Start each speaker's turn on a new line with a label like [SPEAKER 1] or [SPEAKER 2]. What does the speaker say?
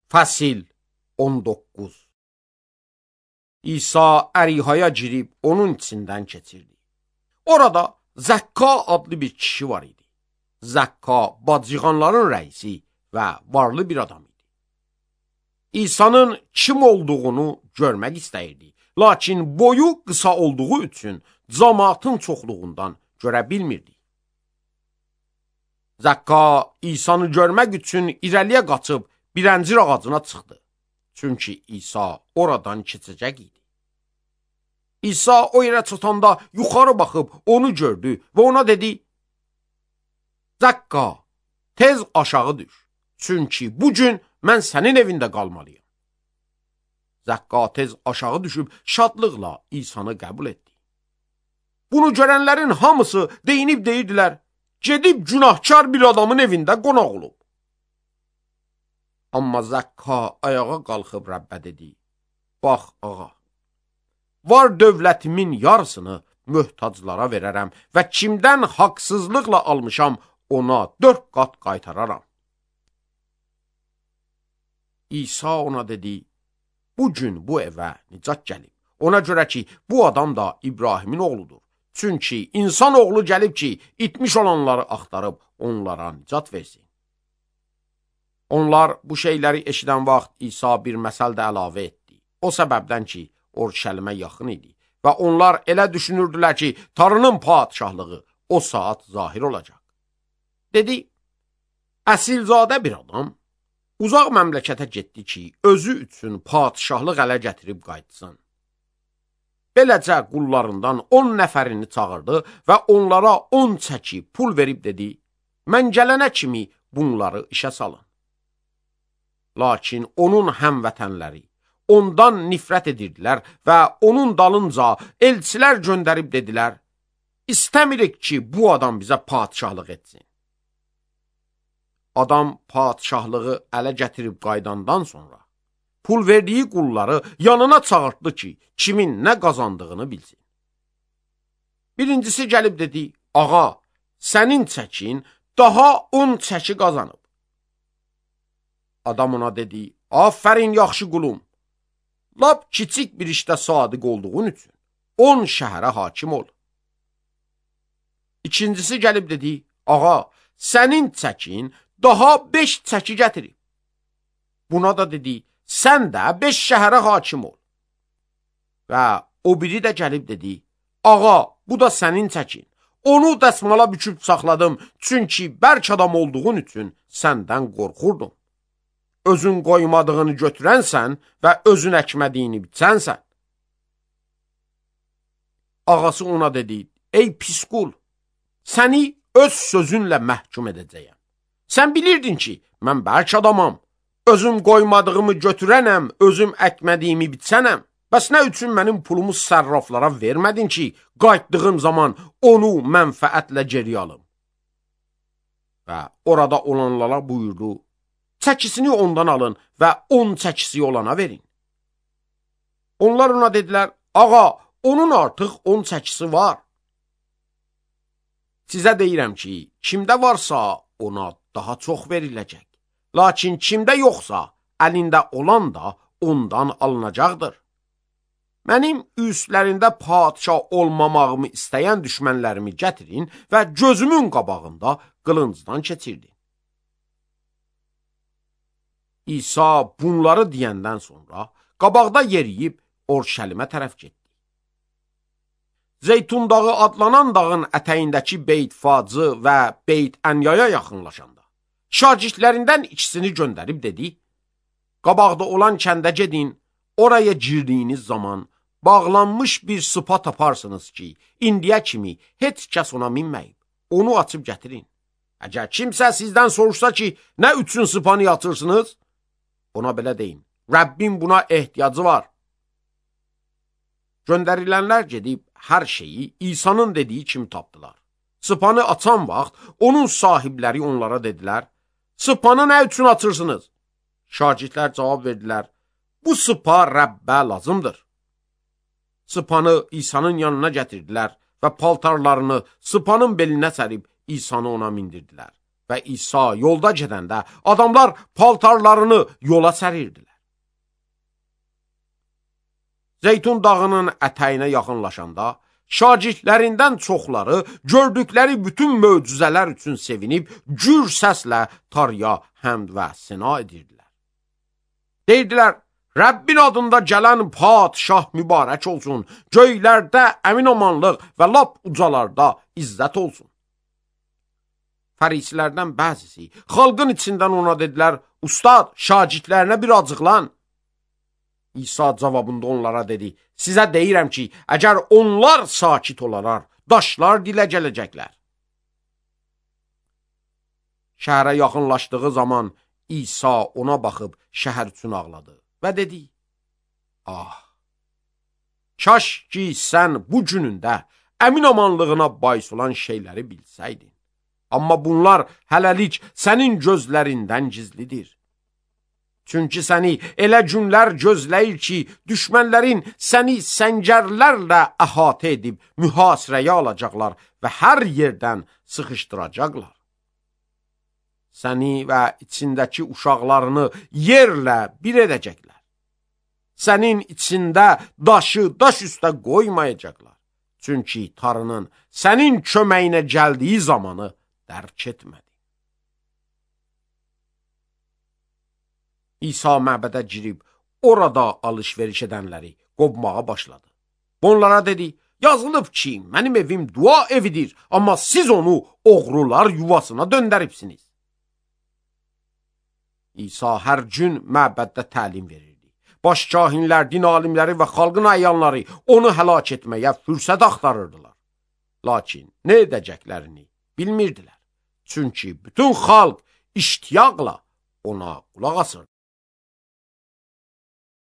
[SPEAKER 1] Fəsil 19. İsa Ərihaya girib onun içindən keçirdi. Orada Zəkka adlı bir kişi var idi. Zəkka bacıqanların rəisi və varlı bir adam idi. İsa'nın kim olduğunu görmək istəyirdi. Lakin boyu qısa olduğu üçün cəmaatın çoxluğundan görə bilmirdi. Zəkka İsa'nı görmək üçün irəliyə qaçıb bir əncir ağacına çıxdı. Çünki İsa oradan keçəcək idi. İsa o yerə çatanda yuxarı baxıb onu gördü və ona dedi: Zəkka, tez aşağı düş. Çünki bugün mən sənin evində qalmalıyım. Zəkka tez aşağı düşüb şadlıqla İsa'nı qəbul etdi. Bunu görənlərin hamısı deyinib deyirdilər: gedib günahkar bir adamın evində qonaq olub. Amma Zəkka ayağa qalxıb Rəbbə dedi: bax ağa, var dövlətimin yarısını möhtaclara verərəm və kimdən haqsızlıqla almışam ona 4 qat qaytararam. İsa ona dedi: bugün bu evə nicat gəlib. Ona görə ki, bu adam da İbrahimin oğludur. Çünki insan oğlu gəlib ki, itmiş olanları axtarıb onlara nicat versin. Onlar bu şeyləri eşidən vaxt İsa bir məsəl də əlavə etdi. O səbəbdən ki, Orşəlimə yaxın idi və onlar elə düşünürdülər ki, Tanrının padişahlığı o saat zahir olacaq. Dedi: əsilzadə bir adam uzaq məmləkətə getdi ki, özü üçün padişahlıq ələ gətirib qayıtsın. Beləcə qullarından 10 nəfərini çağırdı və onlara 10 çəki pul verib dedi: mən gələnə kimi bunları işə salın. Lakin onun həmvətənləri ondan nifrət edirdilər və onun dalınca elçilər göndərib dedilər: İstəmirik ki, bu adam bizə padişahlıq etsin. Adam padişahlığı ələ gətirib qaydandan sonra pul verdiyi qulları yanına çağırtdı ki, kimin nə qazandığını bilsin. Birincisi gəlib dedi: ağa, sənin çəkin daha 10 çəki qazanıb. Adam ona dedi: afərin yaxşı qulum, lap kiçik bir işdə sadiq olduğun üçün 10 şəhərə hakim ol. İkincisi gəlib dedi: ağa, sənin çəkin daha 5 çəki gətirib. Buna da dedi: sən də 5 şəhərə hakim ol. Və o biri də gəlib dedi: ağa, bu da sənin çəkin. Onu dəsmala büküb saxladım, çünki bərk adam olduğun üçün səndən qorxurdum. Özün qoymadığını götürənsən və özün əkmədiyini biçənsən. Ağası ona dedi: ey pis qul, səni öz sözünlə məhkum edəcəyəm. Sən bilirdin ki, mən bərk adamam, özüm qoymadığımı götürənəm, özüm əkmədiyimi biçənəm. Bəs nə üçün mənim pulumu sərraflara vermədin ki, qayıtdığım zaman onu mənfəətlə geri alım? Və orada olanlara buyurdu: çəkisini ondan alın və 10 çəkisi olana verin. Onlar ona dedilər: ağa, onun artıq 10 çəkisi var. Sizə deyirəm ki, kimdə varsa ona daha çox veriləcək. Lakin kimdə yoxsa, əlində olan da ondan alınacaqdır. Mənim üstlərində padişah olmamağımı istəyən düşmənlərimi gətirin və gözümün qabağında qılıncdan keçirdi. İsa bunları deyəndən sonra qabaqda yeriyib Orşəlimə tərəf getdi. Zeytun dağı adlanan dağın ətəyindəki Beyt-Facı və Beyt-Ənyaya yaxınlaşanda şagirdlərindən ikisini göndərib dedi: qabaqda olan kəndə gedin, oraya girdiyiniz zaman bağlanmış bir sıpa taparsınız ki, indiyə kimi heç kəs ona minməyib. Onu açıb gətirin. Əgər kimsə sizdən soruşsa ki, nə üçün sıpanı yatırsınız? Ona belə deyin: Rəbbin buna ehtiyacı var. Göndərilənlər gedib hər şeyi İsa'nın dediyi kimi tapdılar. Sıpanı açan vaxt onun sahibləri onlara dedilər: sıpanı nə üçün açırsınız? Şagirdlər cavab verdilər: bu sıpa Rəbbə lazımdır. Sıpanı İsa'nın yanına gətirdilər və paltarlarını sıpanın belinə sərib İsa'nı ona mindirdilər. və İsa yolda gedəndə adamlar paltarlarını yola sərirdilər. Zeytun dağının ətəyinə yaxınlaşanda, şagirdlərindən çoxları gördükləri bütün möcüzələr üçün sevinib, gür səslə Tanrıya həmd və səna edirdilər. Deyirdilər, Rəbbin adında gələn padişah mübarək olsun, göylərdə əmin-amanlıq və lap ucalarda izzət olsun. Fərisilərdən bəzisi xalqın içindən ona dedilər, Ustad, şagirdlərinə bir acıqlan. İsa cavabında onlara dedi, sizə deyirəm ki, əgər onlar sakit olarar, daşlar dilə gələcəklər. Şəhərə yaxınlaşdığı zaman İsa ona baxıb şəhər üçün ağladı və dedi, kaş ki sən bu günündə əmin-amanlığına bais olan şeyləri bilsəydin. Amma bunlar hələlik sənin gözlərindən gizlidir. Çünki səni elə günlər gözləyir ki, düşmənlərin səni səngərlərlə əhatə edib mühasirəyə alacaqlar və hər yerdən sıxışdıracaqlar. Səni və içindəki uşaqlarını yerlə bir edəcəklər. Sənin içində daşı daş üstə qoymayacaqlar. Çünki Tanrının sənin köməyinə gəldiyi zamanı dərk etmədi. İsa məbədə girib, orada alış-veriş edənləri qovmağa başladı. Onlara dedi, yazılıb ki, mənim evim dua evidir, amma siz onu oğrular yuvasına döndəribsiniz. İsa hər gün məbəddə təlim verirdi. Başkahinlər, din alimləri və xalqın əyanları onu həlak etməyə fürsət axtarırdılar. Lakin nə edəcəklərini bilmirdilər. Çünki bütün xalq iştiyaqla ona qulaq asırdı.